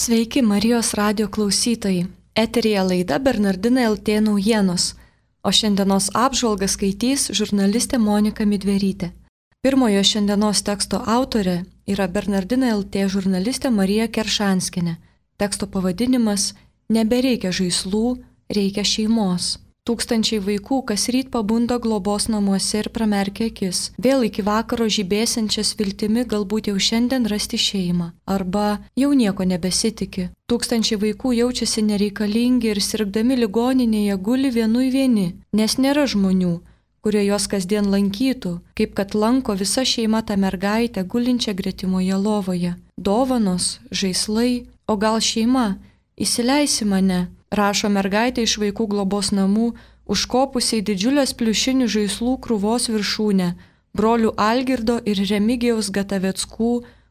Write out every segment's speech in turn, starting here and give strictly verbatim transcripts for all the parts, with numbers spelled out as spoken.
Sveiki Marijos radio klausytojai. Eteryje laida Bernardinai L T naujienos, o šiandienos apžvalgą skaitys žurnalistė Monika Midverytė. Pirmojo šiandienos teksto autorė yra Bernardinai L T žurnalistė Marija Keršanskienė. Teksto pavadinimas Nebereikia žaislų, reikia šeimos. Tūkstančiai vaikų kasryt pabunda globos namuose ir pramerkia akis, vėl iki vakaro žibėsiančias viltimi galbūt jau šiandien rasti šeimą, arba jau nieko nebesitiki. Tūkstančiai vaikų jaučiasi nereikalingi ir sirgdami ligoninėje guli vienui vieni, nes nėra žmonių, kurie juos kasdien lankytų, kaip kad lanko visa šeima tą mergaitę gulinčią gretimoje lovoje. Dovanos, žaislai, o gal šeima, įsileisi mane, rašo mergaitė iš vaikų globos namų, užkopusiai didžiulės pliušinių žaislų krūvos viršūnę, brolių Algirdo ir Remigijaus Gataveckų,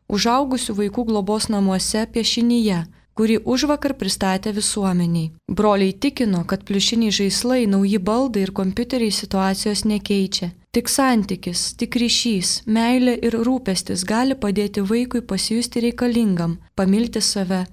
užaugusių vaikų globos namuose piešinyje, kurį užvakar pristatė visuomeniai. Broliai tikino, kad pliušiniai žaislai, nauji baldai ir kompiuteriai situacijos nekeičia. Tik santykis, tik ryšys, meilė ir rūpestis gali padėti vaikui pasijusti reikalingam, pamilti save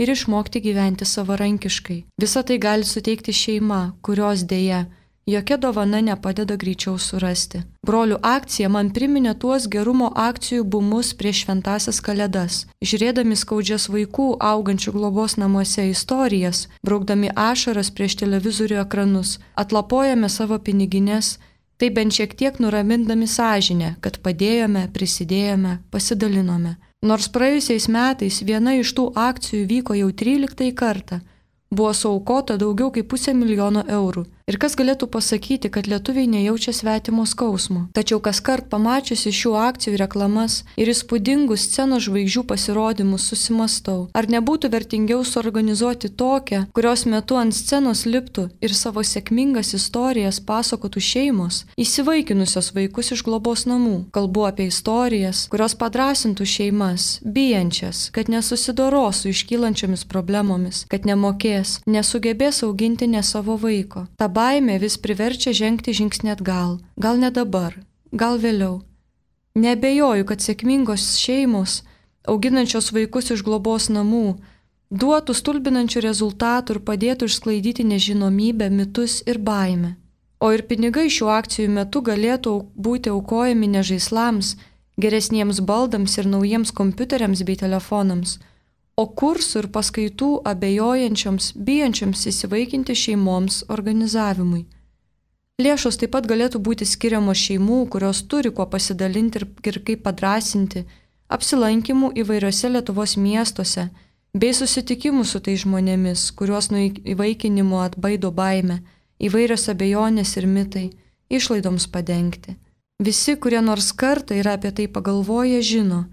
ir išmokti gyventi savarankiškai. Visą tai gali suteikti šeima, kurios dėja jokia dovana nepadeda greičiau surasti. Brolių akcija man priminė tuos gerumo akcijų bumus prieš šventąsias kalėdas. Žiūrėdami skaudžias vaikų augančių globos namuose istorijas, braukdami ašaras prieš televizorių ekranus, atlapojame savo pinigines, tai bent šiek tiek nuramindami sąžinę, kad padėjome, prisidėjome, pasidalinome. Nors praėjusiais metais viena iš tų akcijų vyko jau tryliktąjį kartą, buvo suaukota daugiau kaip pusę milijono eurų. Ir kas galėtų pasakyti, kad lietuviai nejaučia svetimo skausmo. Tačiau kaskart pamačiusi šių akcijų reklamas ir įspūdingus scenos žvaigždžių pasirodymus susimastau, ar nebūtų vertingiau suorganizuoti tokią, kurios metu ant scenos liptų ir savo sėkmingas istorijas pasakotų šeimos, įsivaikinusios vaikus iš globos namų. Kalbu apie istorijas, kurios padrasintų šeimas, bijančias, kad nesusidoros su iškylančiomis problemomis, kad nemokės, nesugebės auginti ne savo vaiko. Ta baimė vis priverčia žengti žingsnį atgal. Gal ne dabar, gal vėliau. Neabejoju, kad sėkmingos šeimos, auginančios vaikus iš globos namų, duotų stulbinančių rezultatų ir padėtų išsklaidyti nežinomybę, mitus ir baimę. O ir pinigai šių akcijų metu galėtų būti aukojami ne žaislams, geresniems baldams ir naujiems kompiuteriams bei telefonams, o kursų ir paskaitų abejojančioms, bijančioms įsivaikinti šeimoms organizavimui. Lėšos taip pat galėtų būti skiriamos šeimų, kurios turi kuo pasidalinti ir, ir kaip padrasinti, apsilankimų įvairiose Lietuvos miestuose, bei susitikimų su tais žmonėmis, kuriuos nuo įvaikinimo atbaido baimę, įvairios abejonės ir mitai, išlaidoms padengti. Visi, kurie nors kartą yra apie tai pagalvoję, žino,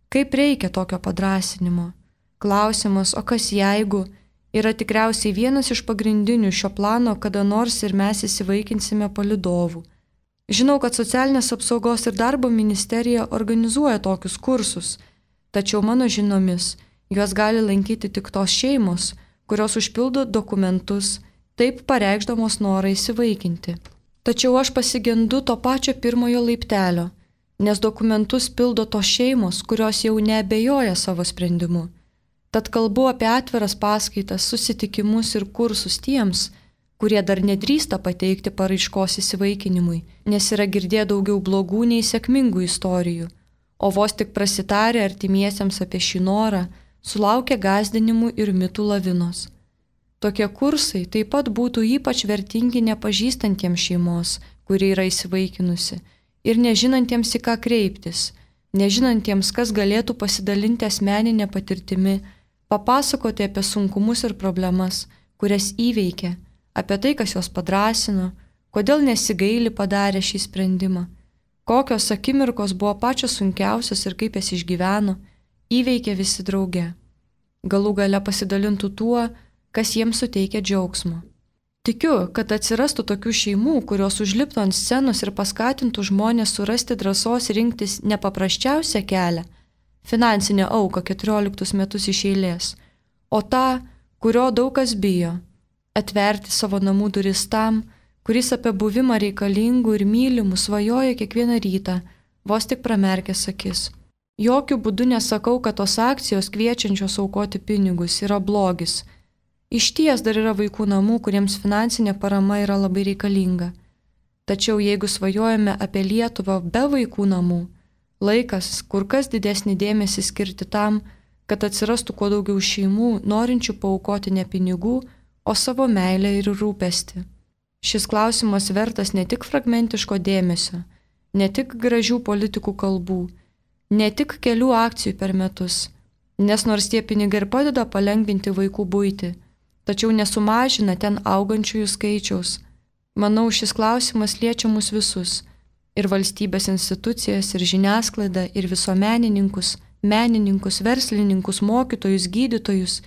kaip reikia tokio padrasinimo. Klausimas, o kas jeigu, yra tikriausiai vienas iš pagrindinių šio plano, kada nors ir mes įsivaikinsime palydovų. Žinau, kad Socialinės apsaugos ir darbo ministerija organizuoja tokius kursus, tačiau mano žinomis, juos gali lankyti tik tos šeimos, kurios užpildo dokumentus, taip pareikšdamos norą įsivaikinti. Tačiau aš pasigendu to pačio pirmojo laiptelio, nes dokumentus pildo tos šeimos, kurios jau neabejoja savo sprendimu. Tad kalbu apie atviras paskaitas, susitikimus ir kursus tiems, kurie dar nedrįsta pateikti paraiškos įsivaikinimui, nes yra girdėję daugiau blogų nei sėkmingų istorijų, o vos tik prasitarę artimiesiems apie šį norą, sulaukia gąsdinimų ir mitų lavinos. Tokie kursai taip pat būtų ypač vertingi nepažįstantiems šeimos, kuri yra įsivaikinusi, ir nežinantiems į ką kreiptis, nežinantiems, kas galėtų pasidalinti asmeninę patirtimi, papasakoti apie sunkumus ir problemas, kurias įveikė, apie tai, kas juos padrasino, kodėl nesigaili padarė šį sprendimą, kokios akimirkos buvo pačios sunkiausios ir kaip jas išgyveno, įveikė visi drauge. Galų gale pasidalintų tuo, kas jiems suteikia džiaugsmo. Tikiu, kad atsirastų tokių šeimų, kurios užliptų ant scenos ir paskatintų žmonės surasti drąsos rinktis nepaprasčiausią kelią, finansinę auką keturioliktus metus iš eilės, o tą, kurio daug kas bijo, atverti savo namų duris tam, kuris apie buvimą reikalingų ir mylimų svajoja kiekvieną rytą, vos tik pramerkęs akis. Jokių būdų nesakau, kad tos akcijos kviečiančios aukoti pinigus yra blogis. Iš ties dar yra vaikų namų, kuriems finansinė parama yra labai reikalinga. Tačiau jeigu svajojame apie Lietuvą be vaikų namų, laikas kur kas didesnį dėmesį skirti tam, kad atsirastų kuo daugiau šeimų, norinčių paaukoti ne pinigų, o savo meilę ir rūpestį. Šis klausimas vertas ne tik fragmentiško dėmesio, ne tik gražių politikų kalbų, ne tik kelių akcijų per metus, nes nors tie pinigai ir padeda palengvinti vaikų buitį, tačiau nesumažina ten augančiųjų skaičiaus. Manau, šis klausimas liečia mus visus – ir valstybės institucijas, ir žiniasklaidą, ir visuomenininkus, menininkus, verslininkus, mokytojus, gydytojus.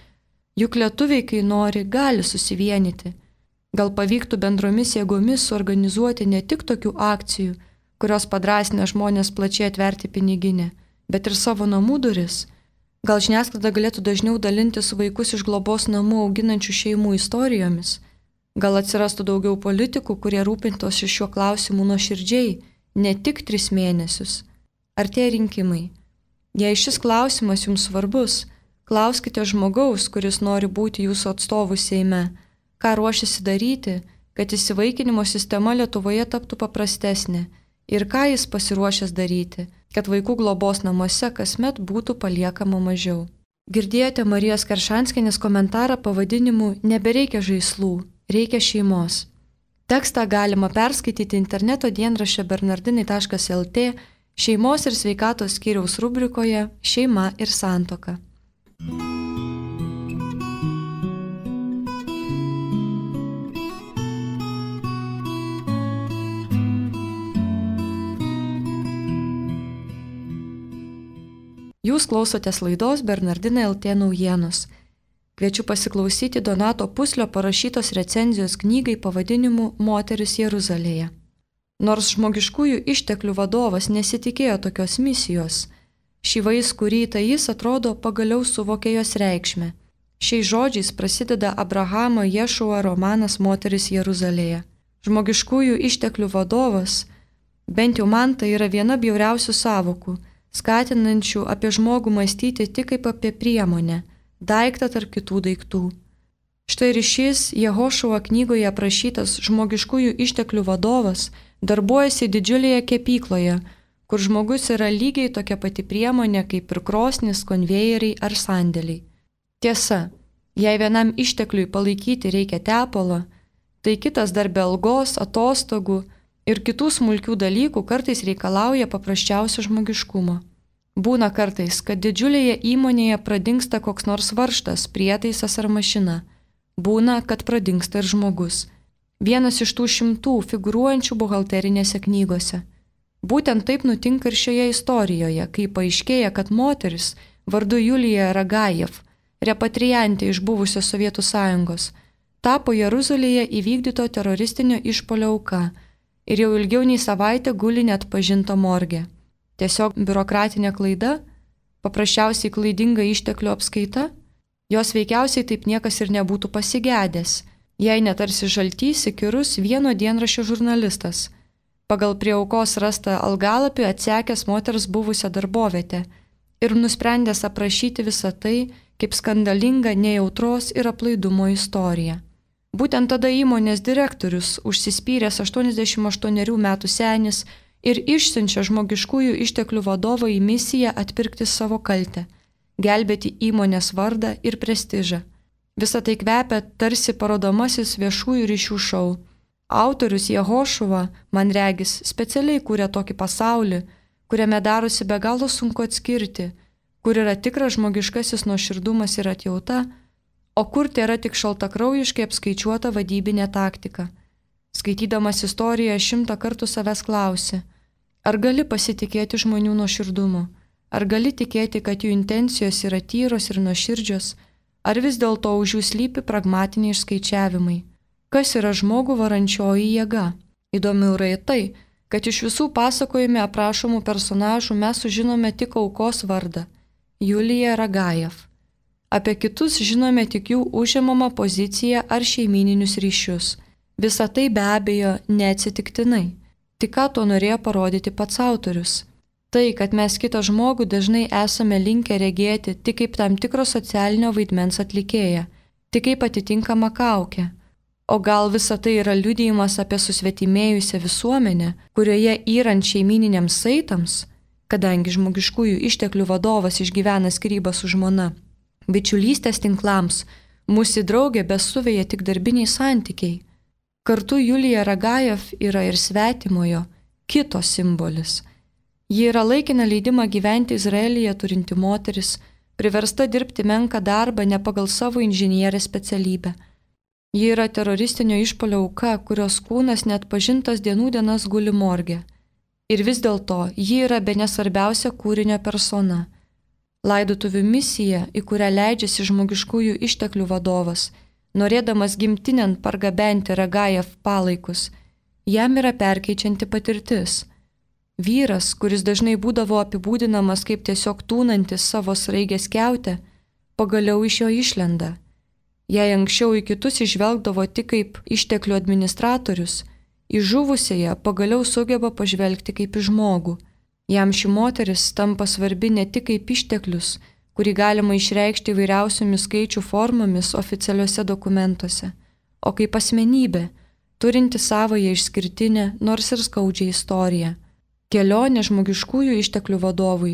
Juk lietuviai, kai nori, gali susivienyti. Gal pavyktų bendromis jėgomis suorganizuoti ne tik tokių akcijų, kurios padrasina žmonės plačiai atverti piniginę, bet ir savo namų duris. Gal žiniasklaida galėtų dažniau dalintis vaikus iš globos namų auginančių šeimų istorijomis. Gal atsirastų daugiau politikų, kurie rūpintosi šiuo klausimu nuoširdžiai, ne tik tris mėnesius. Artėja rinkimai. Jei šis klausimas jums svarbus, klauskite žmogaus, kuris nori būti jūsų atstovų Seime, ką ruošiasi daryti, kad įsivaikinimo sistema Lietuvoje taptų paprastesnė ir ką jis pasiruošęs daryti, kad vaikų globos namuose kasmet būtų paliekama mažiau. Girdėjote Marijos Keršanskienės komentarą pavadinimu Nebereikia žaislų, reikia šeimos. Tekstą galima perskaityti interneto dienraščio bernardinai taškas el tė šeimos ir sveikatos skyriaus rubrikoje Šeima ir santuoka. Jūs klausotės laidos Bernardinai el tė naujienos. Kviečiu pasiklausyti Donato Puslio parašytos recenzijos knygai pavadinimu Moteris Jeruzalėje. Nors žmogiškųjų išteklių vadovas nesitikėjo tokios misijos, šį vaiskų rytą jis atrodo pagaliau suvokė jos reikšmę. Šiais žodžiais prasideda Abrahamo Ješua romanas Moteris Jeruzalėje. Žmogiškųjų išteklių vadovas, bent jau man tai yra viena bjauriausių sąvokų, skatinančių apie žmogų mąstyti tik kaip apie priemonę, daiktą tarp kitų daiktų. Štai ir šis Jehošuo knygoje aprašytas žmogiškųjų išteklių vadovas darbuojasi didžiulėje kepykloje, kur žmogus yra lygiai tokia pati priemonė kaip ir krosnis, konvejeriai ar sandėliai. Tiesa, jei vienam ištekliui palaikyti reikia tepalo, tai kitas dar be algos, atostogų ir kitų smulkių dalykų kartais reikalauja paprasčiausio žmogiškumo. Būna kartais, kad didžiulėje įmonėje pradingsta koks nors varžtas, prietaisas ar mašina. Būna, kad pradingsta ir žmogus. Vienas iš tų šimtų figūruojančių buhalterinėse knygose. Būtent taip nutinka ir šioje istorijoje, kai paaiškėja, kad moteris vardu Julija Ragajev, repatriantė iš buvusios Sovietų sąjungos, tapo Jeruzalėje įvykdyto teroristinio išpuolio auka ir jau ilgiau nei savaitę guli neatpažinta morge. Tiesiog biurokratinė klaida, paprasčiausiai klaidinga išteklių apskaita, jos veikiausiai taip niekas ir nebūtų pasigedęs, jei netarsi žaltys įkyrus vieno dienraščio žurnalistas, pagal prie aukos rastą algalapį atsekęs moters buvusią darbovietę ir nusprendęs aprašyti visą tai kaip skandalingą nejautros ir aplaidumo istoriją. Būtent tada įmonės direktorius, užsispyręs aštuoniasdešimt aštuonerių metų senis, ir išsiunčia žmogiškųjų išteklių vadovą į misiją atpirkti savo kaltę, gelbėti įmonės vardą ir prestižą. Visą tai kvepia tarsi parodomasis viešųjų ryšių šou. Autorius Jehošuva, man regis, specialiai kūrė tokį pasaulį, kuriame darosi be galo sunku atskirti, kur yra tikras žmogiškasis nuoširdumas ir atjauta, o kur tai yra tik šaltakraujiškai apskaičiuota vadybinė taktika. Skaitydamas istoriją šimtą kartų savęs klausi, ar gali pasitikėti žmonių nuoširdumu, ar gali tikėti, kad jų intencijos yra tyros ir nuoširdžios, ar vis dėlto už jų slypi pragmatiniai išskaičiavimai. Kas yra žmogų varančioji jėga? Įdomiau yra tai, kad iš visų pasakojime aprašomų personažų mes sužinome tik aukos vardą – Julija Ragajev. Apie kitus žinome tik jų užimamą poziciją ar šeimyninius ryšius. Visa tai be abejo neatsitiktinai. Tik ką to norėjo parodyti pats autorius. Tai, kad mes kitą žmogų dažnai esame linkę regėti tik kaip tam tikro socialinio vaidmens atlikėją, tik kaip atitinkamą kaukę. O gal visa tai yra liudijimas apie susvetimėjusią visuomenę, kurioje yrant šeimininiams saitams, kadangi žmogiškųjų išteklių vadovas išgyvena skyrybą su žmona, bičiulystės tinklams, mūsų draugė besuveja tik darbiniai santykiai. Kartu Julija Ragajev yra ir svetimojo, kito simbolis. Ji yra laikiną leidimą gyventi Izraelyje turinti moteris, priversta dirbti menką darbą ne pagal savo inžinierės specialybę. Ji yra teroristinio išpuolio auka, kurios kūnas net pažintas dienų dienas guli morge. Ir vis dėlto ji yra bene svarbiausia kūrinio persona. Laidotuvių misija, į kurią leidžiasi žmogiškųjų išteklių vadovas, norėdamas gimtinėn pargabenti Ragajev palaikus, jam yra perkeičianti patirtis. Vyras, kuris dažnai būdavo apibūdinamas kaip tiesiog tūnantis savo sraigės kiautę, pagaliau iš jo išlenda. Jei anksčiau į kitus išvelgdavo tik kaip išteklių administratorius, į žuvusiąją pagaliau sugeba pažvelgti kaip į žmogų. Jam ši moteris tampa svarbi ne tik kaip išteklius, kurį galima išreikšti įvairiausiomis skaičių formomis oficialiuose dokumentuose, o kaip asmenybė, turinti savąją išskirtinę, nors ir skaudžią istoriją. Kelionė žmogiškųjų išteklių vadovui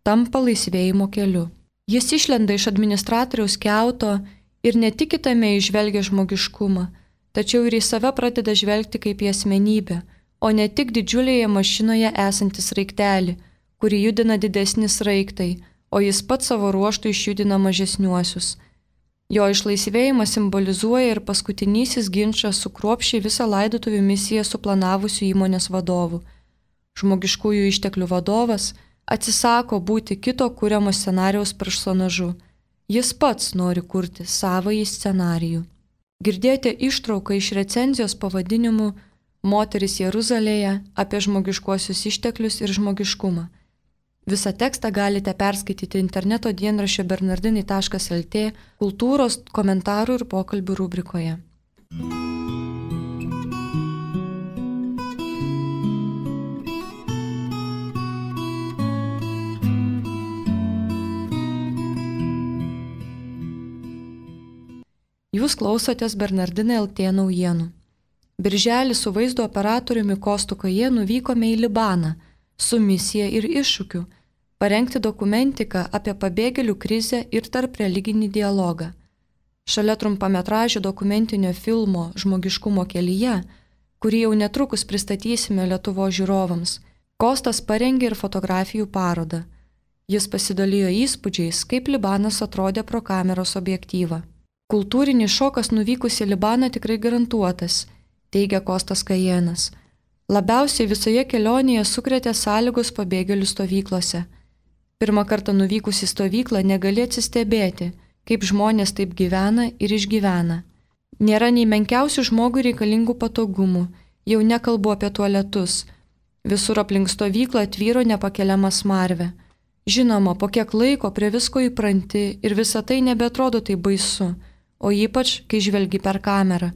tampa laisvėjimo keliu. Jis išlenda iš administratoriaus kiauto ir ne tik kitame išvelgia žmogiškumą, tačiau ir į save pradeda žvelgti kaip į asmenybę, o ne tik didžiulėje mašinoje esantį sraigtelį, kurį judina didesni sraigtai, o jis pats savo ruoštų išjudina mažesniuosius. Jo išlaisvėjimas simbolizuoja ir paskutinysis ginčas su kruopščiai visą laidotuvių misiją suplanavusiu įmonės vadovu. Žmogiškųjų išteklių vadovas atsisako būti kito kuriamo scenarijaus personažu. Jis pats nori kurti savąjį scenarijų. Girdėjote ištrauką iš recenzijos pavadinimu Moteris Jeruzalėje apie žmogiškuosius išteklius ir žmogiškumą. Visą tekstą galite perskaityti interneto dienraščio bernardinai taškas lt kultūros, komentarų ir pokalbių rubrikoje. Jūs klausotės Bernardinai L T naujienų. Birželį su vaizdo operatoriumi Kostu Kajėnu vykome į Libaną su misija ir iššūkiu parengti dokumentiką apie pabėgėlių krizę ir tarp religinį dialogą. Šalia trumpametražio dokumentinio filmo Žmogiškumo kelyje, kurį jau netrukus pristatysime Lietuvos žiūrovams, Kostas parengė ir fotografijų parodą. Jis pasidalijo įspūdžiais, kaip Libanas atrodė pro kameros objektyvą. Kultūrinis šokas nuvykus į Libaną tikrai garantuotas, teigia Kostas Kajėnas. Labiausiai visoje kelionėje sukrėtė sąlygos pabėgėlių stovyklose. Pirmą kartą nuvykus į stovyklą negali atsistebėti, kaip žmonės taip gyvena ir išgyvena. Nėra nei menkiausių žmogui reikalingų patogumų, jau nekalbu apie tualetus. Visur aplink stovyklą tvyro nepakeliama smarvė. Žinoma, po kiek laiko prie visko įpranti ir visa tai nebeatrodo taip baisu, o ypač, kai žvelgi per kamerą.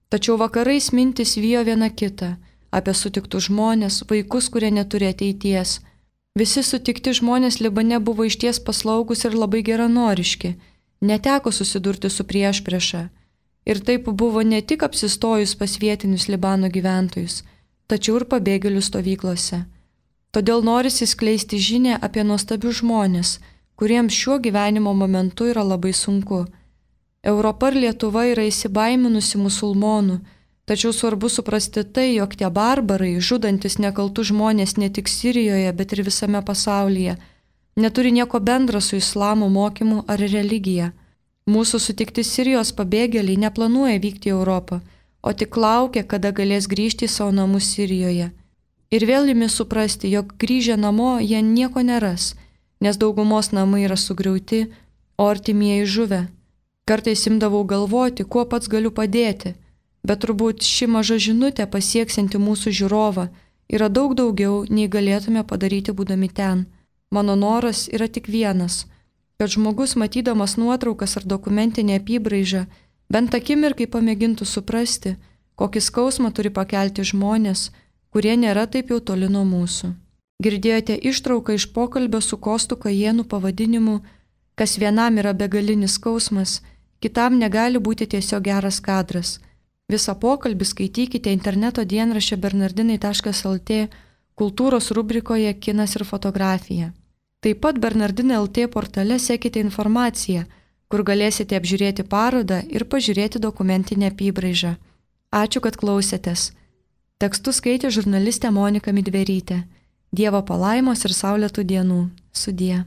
Tačiau vakarais mintis vijo viena kitą, apie sutiktus žmonės, vaikus, kurie neturi ateities. Visi sutikti žmonės Libane buvo išties paslaugus ir labai geranoriški, neteko susidurti su priešprieša. Ir taip buvo ne tik apsistojus pas vietinius Libano gyventojus, tačiau ir pabėgėlių stovyklose. Todėl norisi skleisti žinią apie nuostabius žmonės, kuriems šiuo gyvenimo momentu yra labai sunku. Europa ir Lietuva yra įsibaiminusi musulmonų, tačiau svarbu suprasti tai, jog tie barbarai, žudantis nekaltus žmonės ne tik Sirijoje, bet ir visame pasaulyje, neturi nieko bendra su islamo mokymu ar religija. Mūsų sutikti Sirijos pabėgėliai neplanuoja vykti į Europą, o tik laukia, kada galės grįžti į savo namus Sirijoje. Ir vėl imi suprasti, jog grįžę namo jie nieko neras, nes daugumos namai yra sugriauti, o artimieji žuvę. Kartais imdavau galvoti, kuo pats galiu padėti, bet turbūt ši maža žinutė pasieksianti mūsų žiūrovą yra daug daugiau, nei galėtume padaryti būdami ten. Mano noras yra tik vienas, kad žmogus matydamas nuotraukas ar dokumentinę apybraižą bent akimirkai pamėgintų suprasti, kokį skausmą turi pakelti žmonės, kurie nėra taip jau toli nuo mūsų. Girdėjote ištrauką iš pokalbio su Kostu Kajėnu pavadinimu "Kas vienam yra begalinis skausmas, kitam negali būti tiesiog geras kadras". Visą pokalbį skaitykite interneto dienraščio bernardinai taškas lt kultūros rubrikoje Kinas ir fotografija. Taip pat Bernardinai L T portale sekite informaciją, kur galėsite apžiūrėti parodą ir pažiūrėti dokumentinę apybraižą. Ačiū, kad klausėtės. Tekstus skaitė žurnalistė Monika Midverytė. Dievo palaimos ir saulėtų dienų. Sudie.